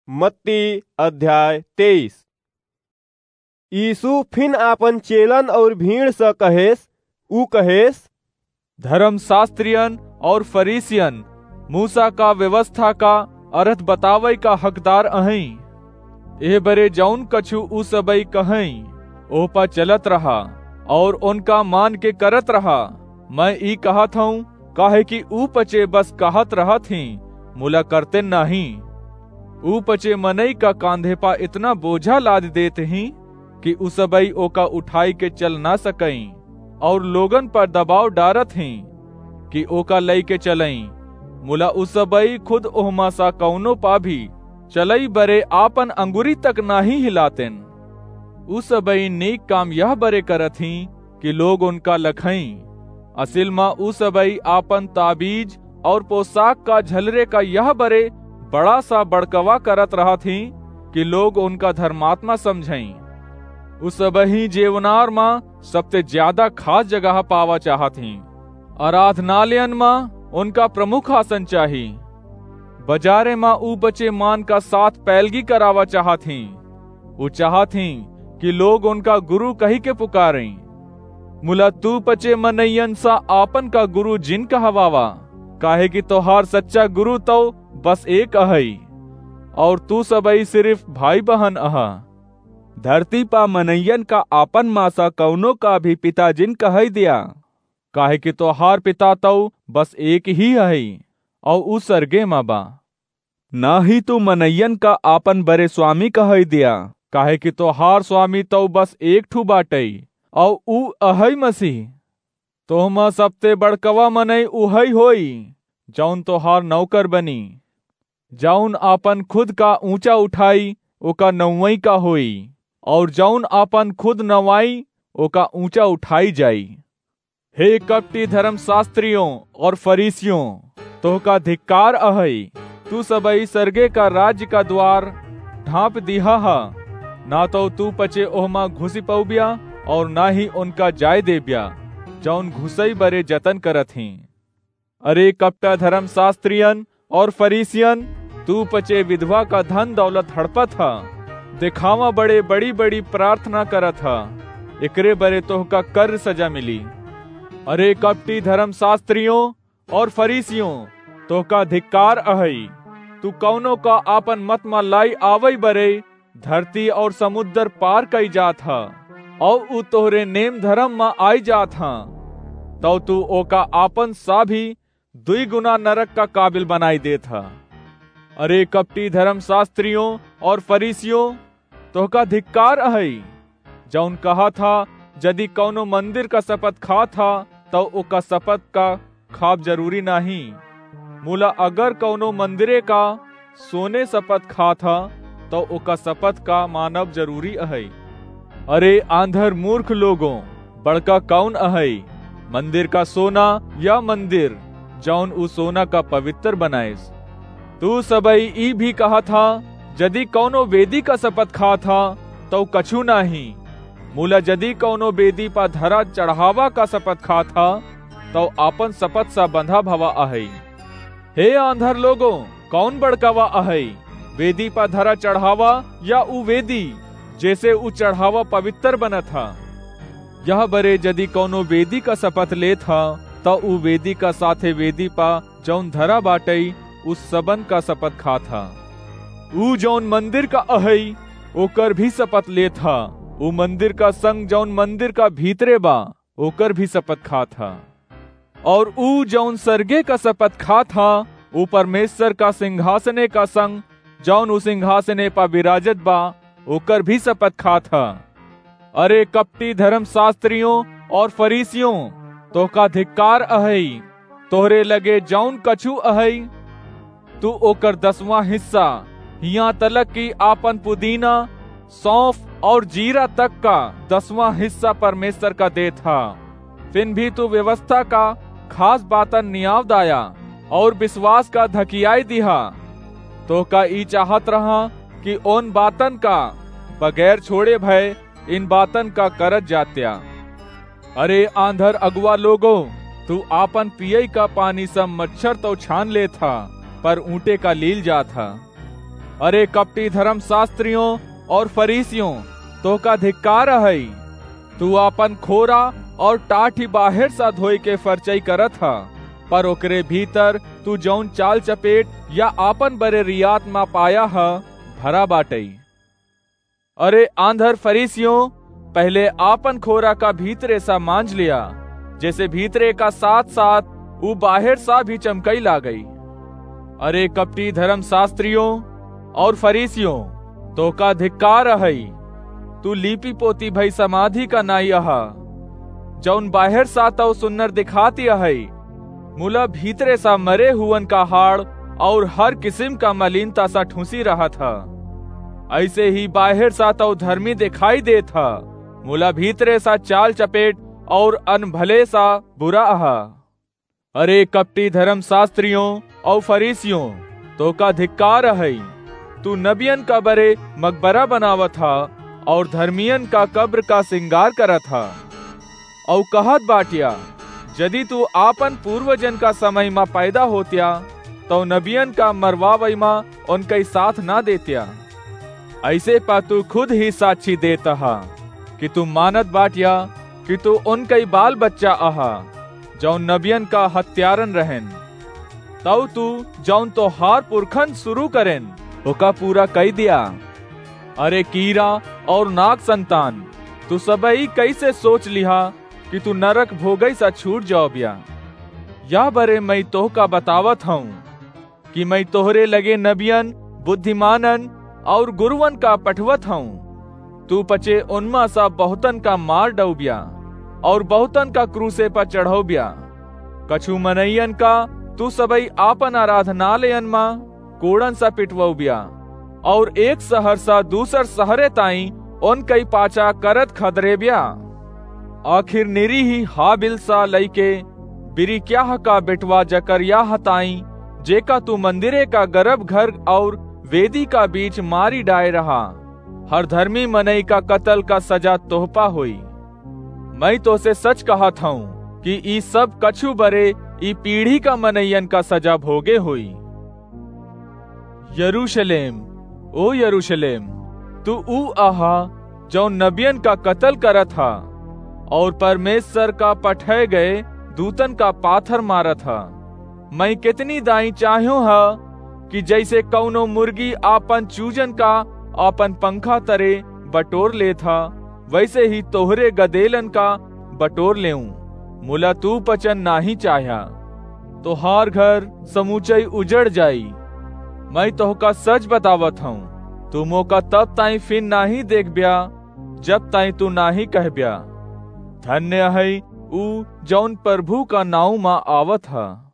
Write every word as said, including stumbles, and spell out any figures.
मत्ती अध्याय तेईस। यीशु फिन आपन चेलन और भीड़ स कहेस, ऊ कहेस, धर्मशास्त्रियन और फरीसियन मूसा का व्यवस्था का अर्थ बतावै का हकदार अहैं। एह बरे जौन कछु ऊ सबई कहैं, ओह पा चलत रहा और उनका मान के करत रहा। मैं ई कहत हूँ, काहे कि ऊ पचे बस कहत रहत हीं, मुला करते नाहीं। ऊ पचे मनई का कांधे पा इतना बोझा लाद देत हीं कि ऊ सबई ओका उठाई के चल ना सकईं, और लोगन पर दबाव डारत हीं कि ओका लई के चलईं। मुला ऊ सबई खुद ओहमा सा कौनो पा भी चलई बरे आपन अंगुरी तक नाहीं हिलातेन। ऊ सबई नीक काम यह बरे करत हीं कि लोग उनका लखईं। असिल मा ऊ सबई आपन ताबीज और पोशाक का झलरे का यह बरे बड़ा सा बड़कवा करत रहत हीं कि लोग उनका धर्मात्मा समझईं। ऊ सबही जेवनार मा सबते ज्यादा खास जगह पावा चाहत हीं। आराधनालयन मा उनका प्रमुख आसन चाही। बजारे मा ऊ बचे मान का साथ पैलगी करावा चाहत हीं। ऊ चाहत हीं कि लोग उनका गुरु कही के पुकारईं। मुला तू पचे मनइयन सा आपन का गुरु जिन कहवावा, काहे कि तोहार सच्चा गुरु तौ बस एक अहई, और तू सबई सिर्फ भाई बहन अहा। धरती पा मनइयन का आपन मा सा कौनो का भी पिता जिन कहई दिया, काहे कि तोहार पिता तौ बस एक ही हई, और ऊ सरगे मा बा। ना ही तू मनइयन का आपन बरे स्वामी कहई दिया, काहे कि तोहार स्वामी तौ बस एक ठू बाटई, और ऊ अहई मसीह। तोहमा सबते बड़कवा मनई उहई होई, जौन तोहार नौकर बनी। जौन आपन खुद का ऊंचा उठाई, ओका नौवई का होई, और जौन आपन खुद नवाई, ओका ऊंचा उठाई जाई। हे कपटी धर्मशास्त्रियों और फरीसियों, तोहका धिक्कार अहई। तू सबई सरगे का राज्य का द्वार ढांप दिहा हा, ना तौ तू पचे ओहमा घुसी पौब्या और ना ही उनका जाय देब्या, जौन घुसई बरे जतन करत हीं। अरे कपटा धर्मशास्त्रियन और फरीसियन, तू पचे विधवा का धन दौलत हड़पत ह, देखावा बड़े बड़ी बड़ी प्रार्थना करत ह, एकरे बरे तोहका कर्र सजा मिली। अरे कपटी धर्मशास्त्रियों और फरीसियों, तोहका धिक्कार अहई। तू कौनो का आपन मत मा लाई आवई बरे धरती और समुद्र पार कई जात ह, और ऊ तोहरे नेम धर्म मा आई जात ह, तौ तू ओका आपन सा भी दुई गुना नरक का काबिल बनाई देत ह। अरे कपटी धर्मशास्त्रियों और फरीसियों, तोहका धिक्कार अहई, जौन कहत ह, यदि कौनो मंदिर का शपथ खात ह, तौ ओका शपथ का खाब जरूरी नाहीं। मुला अगर कौनो मंदिरे का सोने शपथ खात ह, तौ ओका शपथ का मानब जरूरी अहई। अरे आंधर मूर्ख लोगों, बड़का कौन अहई, मंदिर का सोना या मंदिर, जौन ऊ सोना का पवित्र बनाइस? तू सबई ई भी कहत ह, यदि कौनो वेदी का शपथ खात ह, तौ कछू नाहीं। मुला यदि कौनो वेदी पा धरा चढ़ावा का शपथ खात ह, तौ आपन शपथ सा बंधा भवा अहई। हे आंधर लोगों, कौन बड़कावा अहई, वेदी पा धरा चढ़ावा या ऊ वेदी, जेसे ऊ चढ़ावा पवित्र बनत ह? यह बरे यदि कौनो वेदी का शपथ लेत ह, त ऊ वेदी का साथे वेदी पा जौन धरा बाटई, उ सबन का शपथ खात ह। ऊ जौन मंदिर का अहई, ओकर भी शपथ लेत ह। ऊ मंदिर का संग जौन मंदिर का भीतरे बा, ओकर भी शपथ खात ह। और ऊ जौन सरगे का शपथ खात ह, ऊ परमेश्वर का सिंहासने का संग जौन ऊ सिंहासने पा विराजत बा, ओकर भी शपथ खात ह। अरे कपटी धर्मशास्त्रियों और फरीसियों, तोहका धिक्कार अहई। तोहरे लगे जौन कछु अहई, तू ओकर दसवाँ हिस्सा, हियाँ तलक कि आपन पुदीना, सौंफ और जीरा तक का दसवाँ हिस्सा परमेश्वर का देत ह। फिन भी तू व्यवस्था का खास बातन नियाव दाया और विश्वास का धकियाई दिहा। तोहका ई चाहत रहा कि ओन बातन का बगैर छोड़े भय इन बातन का करत जात्या। अरे आंधर अगुआ लोगो, तू आपन पियई का पानी स मच्छर तौ छान लेत ह, पर ऊंटे का लील जात ह। अरे कपटी धर्मशास्त्रियों और फरीसियों, तोहका धिक्कार अहइ। तू आपन खोरा और टाठी बाहेर सा धोइ के फरचइ करत ह, पर ओकरे भीतर तू जउन चाल चपेट या आपन बरे रियात मा पाया ह, भरा बाटइ। अरे आंधर फरीसियों, पहिले आपन खोरा का भीतरे सा मांज लिया, जेसे भीतरे का साथ-साथ ऊ बाहेर सा भी चमकइ लागइ। अरे कपटी धर्मशास्त्रियों और फरीसियों, तोहका धिक्कार अहइ। तू लीपी पोती भई समाधि का नाई अहा, जउन बाहेर सा तउ सुन्नर दिखाती अहइ, मुला भीतरे सा मरे हुअन का हाड़ और हर किसिम का मलिनता सा ठूसी रहत ह। अइसे ही बाहेर सा तउ धर्मी देखाई देत ह, मुला भीतरे सा चाल चपेट और अनभले सा बुरा ह। अरे कपटी धर्मशास्त्रियों और फरीसियों, तोहका धिक्कार अहइ। तू नबियन का बरे मकबरा बनावत ह और धर्मियन का कब्र का सिंगार करत ह। अउ कहत बाट्या, यदि तू आपन पूर्वजन का समय मा पैदा होत्या, तउ नबियन का मरवावइ मा उनकइ साथ ना देत्या। अइसे प तू खुद ही साक्षी देत ह कि तू मानत बाट्या कि तू उनकइ बाल बच्चा अहा, जउन नबियन का हत्यारन रहेन। तउ तू जउन तोहार पुरखन सुरू करेन, ओका पूरा कइ दिया। अरे कीरा और नाग संतान, तू सबइ कइसे सोच लिहा कि तू नरक भोगइ सा छूट जाओब्या? यह बरे मइँ तोहका बतावत हऊँ कि मइँ तोहरे लगे नबियन, बुद्धिमानन और गुरुवन का पठवत हऊँ। तू पचे उनमा सा बहुतन का मार डउब्या और बहुतन का क्रूसे प चढ़उब्या। कछु मनइयन का तू सबइ आपन आराधनालयन मा कोड़न सा पिटवउब्या और एक सहर सा दूसर सहरे ताईं उनकइ पाछा करत खदरेब्या। आखिर निरीही हाबिल सा लइके बिरिक्याह का बेटवा जकर्याह ताईं, जेका तू मंदिरे का गरभ घर और वेदी का बीच मारी डाए रहा, हर धर्मी मनई का कतल का सजा तोहपा होई। मइँ तोहसे सच कहत हऊँ कि ई सब कछु बरे ई पीढ़ी का मनइयन का सजा भोगे होई। यरूशलेम, ओ यरूशलेम, तू ऊ अहा, जउन नबियन का कतल करत ह और परमेश्वर का पठए गए दूतन का पाथर मारत ह। मइँ केतनी दाईं चाह्यो ह कि जइसे कउनो मुर्गी आपन चूजन का आपन पंखा तरे बटोर लेत ह, वइसे ही तोहरे गदेलन का बटोर लेऊँ, मुला तू पचन नाहीं चाह्या। तोहार घर समूचइ उजड़ जाई। मइँ तोहका सच बतावत हऊँ, तू मोका तब ताईं फिन नाहीं देखब्या, जब ताईं तू नाहीं कहब्या, "धन्य हइ ऊ, जउन प्रभु का नाउँ मा आवत ह।"